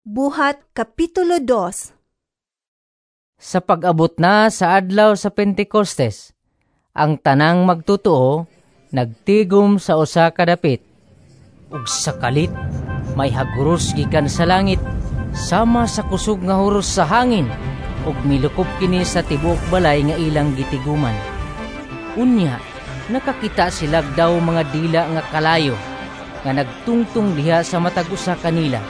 Buhat Kapitulo 2. Sa pag-abot na sa adlaw sa Pentecostes, ang tanang magtotoo nagtigom sa usa ka dapit. Ug sa kalit may haguros gikan sa langit sama sa kusog nga huros sa hangin, ug milukop kini sa tibuok balay nga ilang gitiguman. Unya nakakita sila daw mga dila nga kalayo nga nagtungtong diha sa matag usa kanila.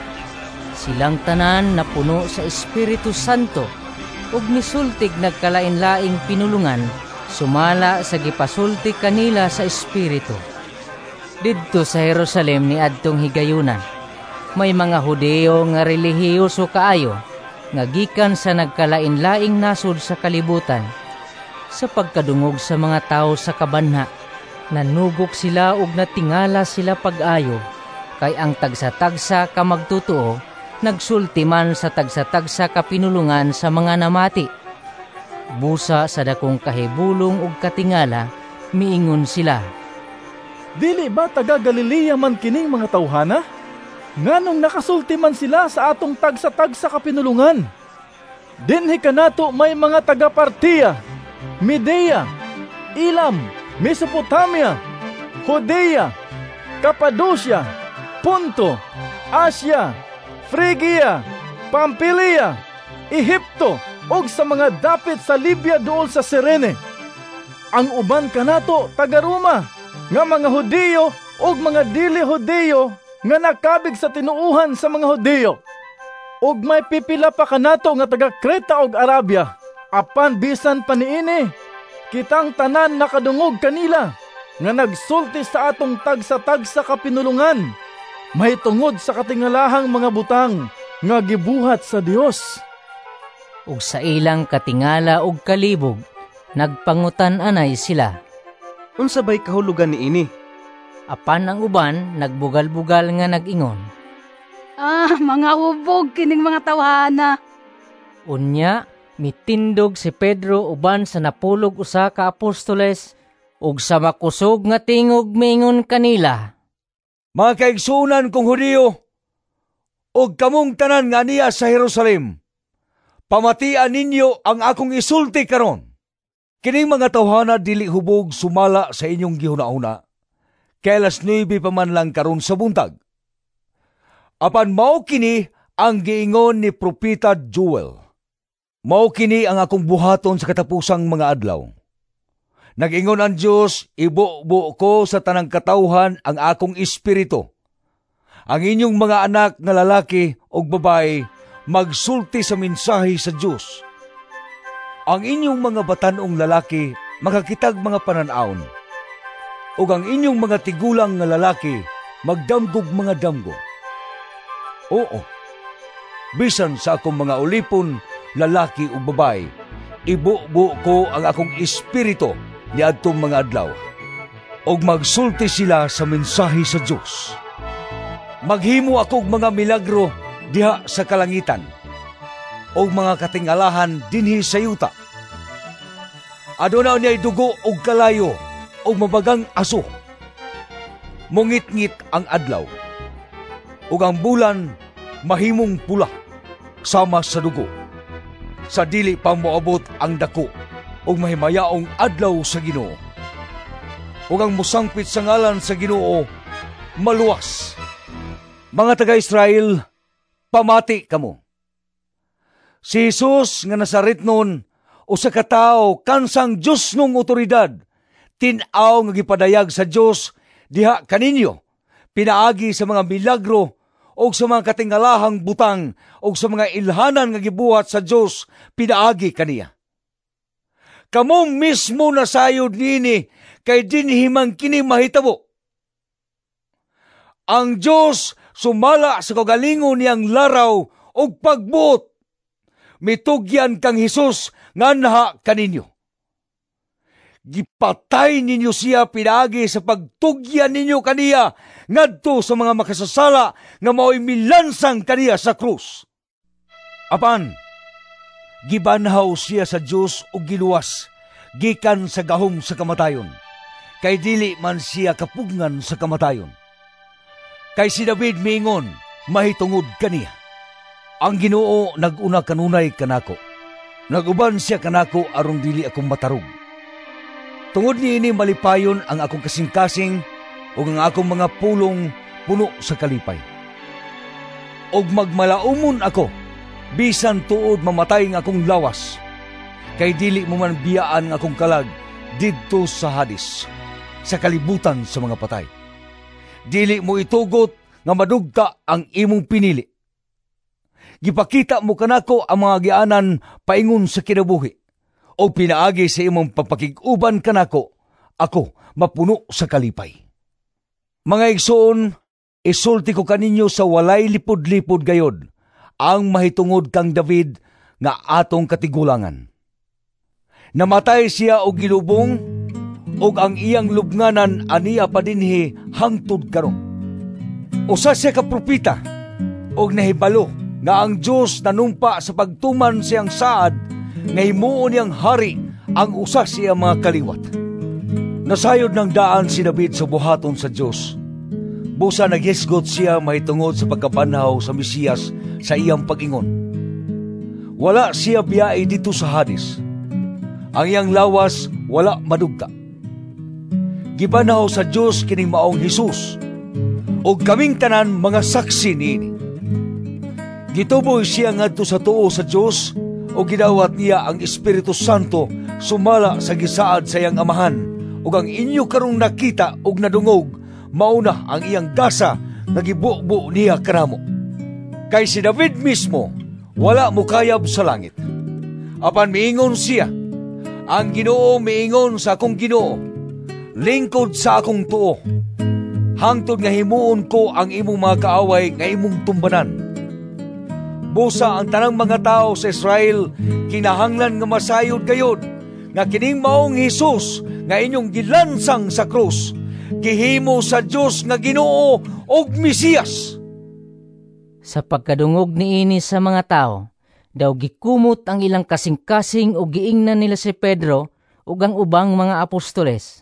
Silang tanan napuno sa Espiritu Santo ug misultig nagkalain-laing pinulungan sumala sa gipasulti kanila sa Espiritu. Didto sa Jerusalem ni adtong higayuna, may mga Hudeo nga relihiyoso kaayo nga gikan sa nagkalain-laing nasod sa kalibutan. Sa pagkadungog sa mga tawo sa kabanha, nanugok sila ug natingala sila pag-ayo, kay ang tagsa-tagsa ka magtotoo nagsulti man sa tagsa-tagsa ka pinulungan sa mga namati. Busa sa dakong kahibulong ug katingala, miingon sila, "Dili ba taga Galilea man kining mga tawhana? Nganong nakasulti man sila sa atong tagsa-tagsa ka pinulungan? Dinhi kanato may mga taga Partia, Medea, Elam, Mesopotamia, Judea, Capadocia, Ponto, Asia, Frigia, Pampilia, Ehipto, ug sa mga dapit sa Libya duol sa Cirene. Ang uban kanato taga Roma, nga mga Hudiyo ug mga dili Hudiyo nga nakabig sa tinuohan sa mga Hudiyo. Ug may pipila pa kanato nga taga Creta ug Arabia. Apan bisan pa niini, kitang tanan nakadungog kanila nga nagsulti sa atong tagsa-tagsa ka pinulungan mahitungod sa katingalahang mga butang nga gibuhat sa Dios." Ug sa ilang katingala ug kalibog, nagpangutan-anay sila, "Unsa bay kahulugan niini?" Apan ang uban nagbugal-bugal nga nag-ingon, "Ah, mga hubog kining mga tawhana." Unya mitindog si Pedro uban sa 61 ka apostoles ug sa makusog nga tingog miingon kanila, "Mga kaigsuonan kong Hudiyo, ug kamong tanan nga niya sa Jerusalem, pamatian ninyo ang akong isulti karon. Kining mga tawhana dili hubog sumala sa inyong gihuna-huna, kay 9:00 pa man lang karon sa buntag. Apan mao kini ang giingon ni Propeta Joel: 'Mao kini ang akong buhaton sa katapusang mga adlaw. Nag-ingon ang Dios, ibubo ko sa tanang katawhan ang akong espiritu. Ang inyong mga anak nga lalaki ug babae magsulti sa mensahe sa Dios. Ang inyong mga batan-ong lalaki makakitag mga panan-awon, ug ang inyong mga tigulang nga lalaki magdamgog mga damgo. Oo, bisan sa akong mga ulipon, lalaki ug babae, ibubo ko ang akong espiritu niadtong mga adlaw, ug magsulti sila sa mensahe sa Dios. Maghimo akog mga milagro diha sa kalangitan, ug mga katingalahan dinhi sa yuta. Aduna niay dugo ug kalayo ug mabagang aso. Mungitngit ang adlaw, ug ang bulan mahimong pula sama sa dugo, sa dili pa moabot ang dako ug mahimayaong adlaw sa Ginoo. Ug ang mosangpit sa ngalan sa Ginoo maluwas. Mga taga-Israel, pamati kamo. Si Jesus nga Nazaretnon, usa ka tawo kansang Dios nung otoridad, tin-aw nga gipadayag sa Dios diha kaninyo, pinaagi sa mga milagro ug sa mga katingalahang butang ug sa mga ilhanan nga gibuhat sa Dios pinaagi kaniya. Kamo mismo nasayod niini, kay dinhi man kini mahitabo. Ang Dios sumala sa kaugalingon niyang laraw ug pagbuot, mitugyan kang Hesus nga naha kaninyo. Gipatay ninyo siya pinaagi sa pagtugyan ninyo kaniya ngadto sa mga makasasala nga mao'y milansang kaniya sa krus. Apan gibanhaw siya sa Dios ug giluwas gikan sa gahom sa kamatayon, kay dili man siya kapugngan sa kamatayon. Kay si David miingon mahitungod kaniya: Ang Ginoo nag-una kanunay kanako. Naguban siya kanako aron dili ako matarog. Tungod niini malipayon ang akong kasing-kasing ug ang akong mga pulong puno sa kalipay. Og magmalaumon ako bisan tuod mamatay ang akong lawas, kay dili mo man biyaan ang akong kalag didto sa Hades, sa kalibutan sa mga patay. Dili mo itugot nga madugta ang imong pinili. Gipakita mo kanako ang mga gianan paingon sa kinabuhi, o pinaagi sa imong pagpakig-uban kanako, ako mapuno sa kalipay. Mga igsoon, isulti ko kaninyo sa walay lipod-lipod gayod ang mahitungod kang David nga atong katigulangan. Namatay siya og gilubong, ug ang iyang lubnganan aniya pa dinhi hangtod karon. Usa siya ka propeta og nahibalo nga ang Dios nanumpa sa pagtuman siyang saad nga himuon niyang hari ang usa siya mga kaliwat. Nasayod ng daan si David sa buhaton sa Dios. Busa naghisgot siya mahitungod sa pagkabanhaw sa Mesiyas sa iyang pag-ingon. Wala siya biyai dito sa Hades. Ang iyang lawas wala madugta. Gibanhaw sa Dios kining maong Hesus, ug kaming tanan mga saksi niini. Gituboy siya ngadto sa tuo sa Dios ug gidawat niya ang Espiritu Santo sumala sa gisaad sa iyang amahan, ug ang inyo karong nakita ug nadungog mauna ang iyang gasa nga gibubo niya kanamo. Kay si David mismo wala mokayab sa langit. Apan miingon siya, ang Ginoo miingon sa akong Ginoo, lingkod sa akong tuo, hangtod nga himuon ko ang imong mga kaaway nga imong tumbanan. Busa ang tanang mga tao sa Israel kinahanglan nga masayod gayod nga kining maong Hesus nga inyong gilansang sa krus, gihimo sa Dios nga Ginoo ug Mesiyas. Sa pagkadungog niini sa mga tao, daw gikumot ang ilang kasing-kasing ug giingnan nila si Pedro ug ang ubang mga apostoles.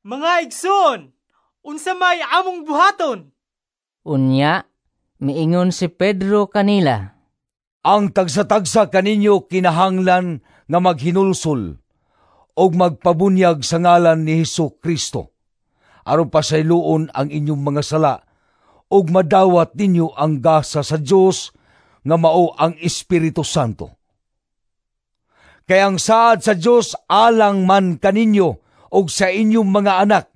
Mga igsoon, unsa may among buhaton? Unya, miingon si Pedro kanila. Ang tagsa-tagsa kaninyo kinahanglan nga maghinulsol ug magpabunyag sa ngalan ni Hesus Kristo aron pasayloon ang inyong mga sala ug madawat ninyo ang gasa sa Dios nga mao ang Espiritu Santo. Kay ang saad sa Dios alang man kaninyo ug sa inyong mga anak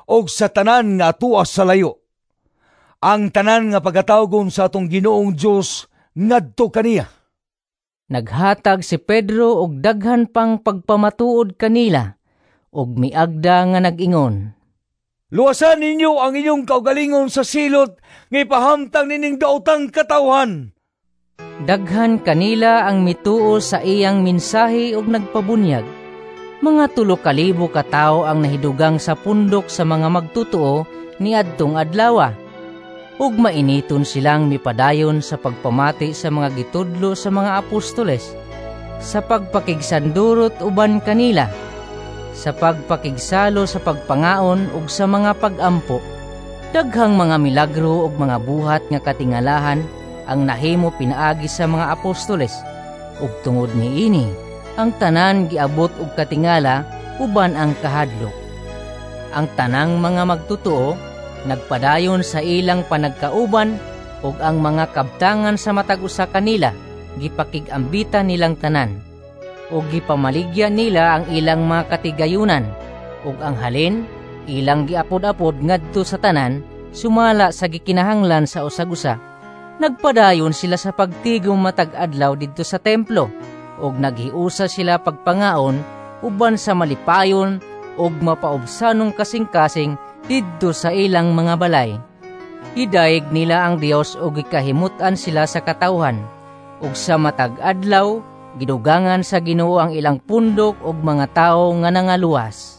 ug sa tanan nga tuas sa layo. Ang tanan nga pagatawgon sa atong Ginoong Dios ngadto kaniya. Naghatag si Pedro og daghan pang pagpamatuod kanila ug miagda nga nag-ingon. Luwasan ninyo ang inyong kaugalingon sa silot nga ipahamtang nining daotang katawhan. Daghan kanila ang mituo sa iyang mensahe ug nagpabunyag. Mga 3,000 ka tawo ang nahidugang sa pundok sa mga magtutuo niadtong adlawa. Ug mainiton silang mipadayon sa pagpamati sa mga gitudlo sa mga apostoles, sa pagpakigsandurot uban kanila, sa pagpakigsalo sa pagpangaon ug sa mga pagampo. Daghang mga milagro ug mga buhat nga katingalahan ang nahimo pinaagi sa mga apostoles, ug tungod niini ang tanan giabot og katingala uban ang kahadlok. Ang tanang mga magtutuo nagpadayon sa ilang panagkauban, ug ang mga kabtangan sa matag usa kanila gipakig-ambitan nilang tanan, ug gipamaligya nila ang ilang mga katigayunan, ug ang halin ilang giapod-apod ngadto sa tanan sumala sa gikinahanglan sa usag-usa. Nagpadayon sila sa pagtigom matag adlaw didto sa templo, ug naghiusa sila pagpangaon uban sa malipayon ug mapaubsanong kasing-kasing didto sa ilang mga balay. Gidayeg nila ang Dios ug gikahimut-an sila sa katawhan, ug sa matag adlaw gidugangan sa Ginoo ang ilang pundok og mga tawo nga nangaluwas.